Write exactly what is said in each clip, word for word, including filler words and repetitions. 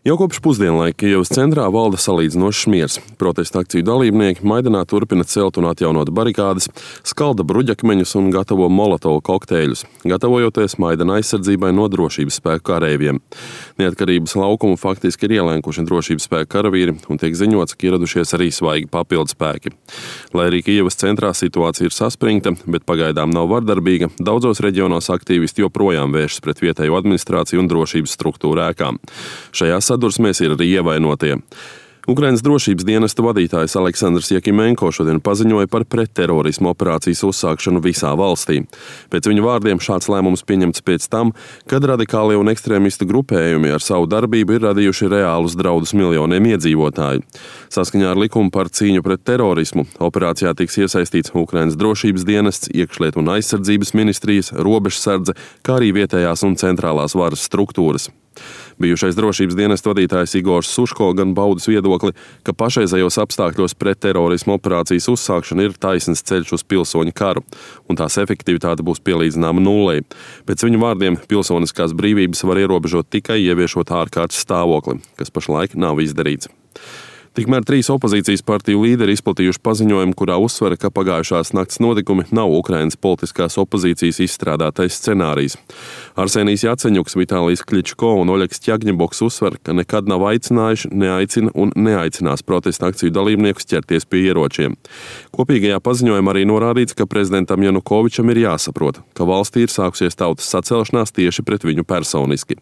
Jau kopš pusdienlaika Kijevas centrā valda salīdzinošs miers. Protesta akciju dalībnieki Maidanā turpina celt un atjaunot barikādes, skalda bruģakmeņus un gatavo molotovu kokteļus, gatavojoties Maidana aizsardzībai no drošības spēku kareiviem. Neatkarības laukumu faktiski ir ielēkuši drošības spēku karavīri un tiek ziņots, ka ieradušies arī svaigi papildu spēki. Lai arī Kijevas centrā situācija ir saspringta, bet pagaidām nav vardarbīga, daudzos reģionos aktīvisti joprojām vēršas pret vietējo administrāciju un drošības struktūru ēkām. Šajā sadursmēs ir arī ievainotie. Ukrainas drošības dienesta vadītājs Aleksandrs Jakimenko šodien paziņoja par pretterorismu operācijas uzsākšanu visā valstī. Pēc viņa vārdiem šāds lēmums pieņemts pēc tam, kad radikālie un ekstrēmistu grupējumi ar savu darbību ir radījuši reālus draudus miljoniem iedzīvotāju. Saskaņā ar likumu par cīņu pret terorismu operācijā tiks iesaistīts Ukrainas drošības dienests, iekšlietu un aizsardzības ministrijas, robežsardze, kā arī vietējās un centrālās varas struktūras. Bijušais drošības dienesta vadītājs Igors Suško gan baudis viedokli, ka pašreizējos apstākļos pretterorismu operācijas uzsākšana ir taisns ceļš uz pilsoņu karu, un tās efektivitāte būs pielīdzināma nullei. Pēc viņu vārdiem pilsoniskās brīvības var ierobežot tikai ieviešot ārkārtas stāvokli, kas pašlaik nav izdarīts. Tikmēr trīs opozīcijas partiju līderi izplatījuši paziņojumu, kurā uzsvera, ka pagājušās nakts notikumi nav Ukrainas politiskās opozīcijas izstrādātais scenārijs. Arsenijs Jaceņuks, Vitālijs Kličko un Oļegs Ķagņeboks uzsver, ka nekad nav aicinājuši, neaicina un neaicinās protesta akciju dalībniekus ķerties pie ieročiem. Kopīgajā paziņojumā arī norādīts, ka prezidentam Janukovičam ir jāsaprot, ka valstī ir sākusies tautas sacelšanās tieši pret viņu personiski.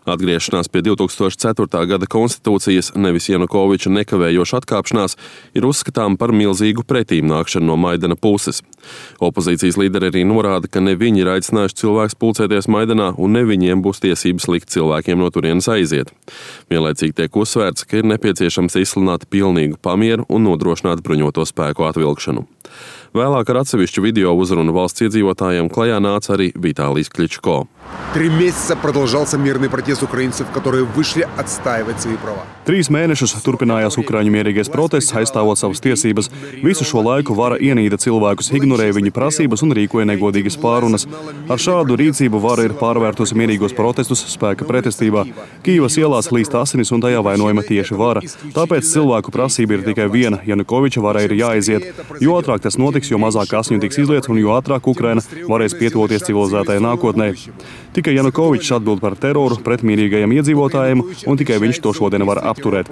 Atgriešanās pie divi tūkstoši ceturtā gada konstitūcijas, nevis Janukoviča nekavējoša atkāpšanās, ir uzskatām par milzīgu pretīmnākšanu no Maidana puses. Opozīcijas līderi arī norāda, ka ne viņi ir aicinājuši cilvēkus pulcēties Maidanā un ne viņiem būs tiesības likt cilvēkiem no turienes aiziet. Vienlaicīgi tiek uzsvērts, ka ir nepieciešams izsludināt pilnīgu pamieru un nodrošināt bruņoto spēku atvilkšanu. Vēlāk ar atsevišķu video uzrunu valsts iedzīvotājiem klajā nāca arī Vitālijs Kličko. Три месяца продолжался мирный протест украинцев, которые вышли отстаивать свои права. Trīs mēnešus turpinājās Ukraiņu mierīgais protests, aizstāvot savas tiesības. Visu šo laiku vara ienīda cilvēkus, ignorēja viņu prasības un rīkoja negodīgas pārunas. Ar šādu rīcību vara ir pārvērtusi mierīgos protestus spēka pretestībā. Kijevas ielās līst asinis un tajā vainojama tieši vara. Tāpēc cilvēku prasība ir tikai viena – Janukoviča varai ir jāaiziet. Jo ātrāk tas notiks, jo mazāk asņu tiks izlietas un jo ātrāk Ukraina varēs pietuvoties civilizētajai nākotnē. Tikai Janukovičs atbild par teroru pret mierīgajiem iedzīvotājiem, un tikai viņš to šodien var apturēt.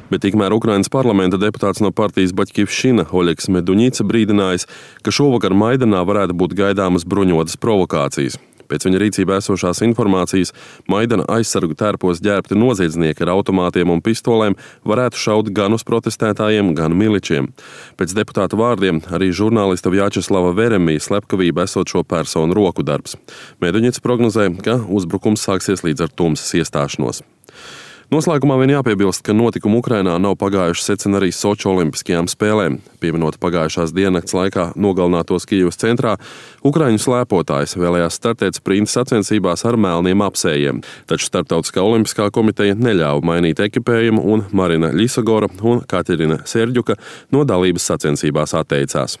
Bet tikmēr Ukrainas parlamenta deputāts no partijas Baķkivšina Oļegs Meduņica brīdinājis, ka šovakar Maidanā varētu būt gaidāmas bruņotas provokācijas. Pēc viņa rīcībā esošās informācijas Maidana aizsargu tērpos ģērbti noziedznieki ar automātiem un pistolēm varētu šaut gan uz protestētājiem, gan miličiem. Pēc deputāta vārdiem arī žurnālista Vjačeslava Veremija slepkavība esot šo personu roku darbs. Meduņics prognozē, ka uzbrukums sāksies līdz ar tumsas iestāšanos. Noslēgumā vien jāpiebilst, ka notikumi Ukrainā nav pagājuši secina arī Soču olimpiskajām spēlēm. Pieminot pagājušās diennakts laikā nogalinātos Kijevas centrā, ukraiņu slēpotājs vēlējās startēt sprinta sacensībās ar melniem apsējiem. Taču Starptautiskā olimpiskā komiteja neļāva mainīt ekipējumu un Marina Ļisagora un Katerina Serģuka no dalības sacensībās atteicās.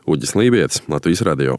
Uģis Lībietis, Latvijas radio.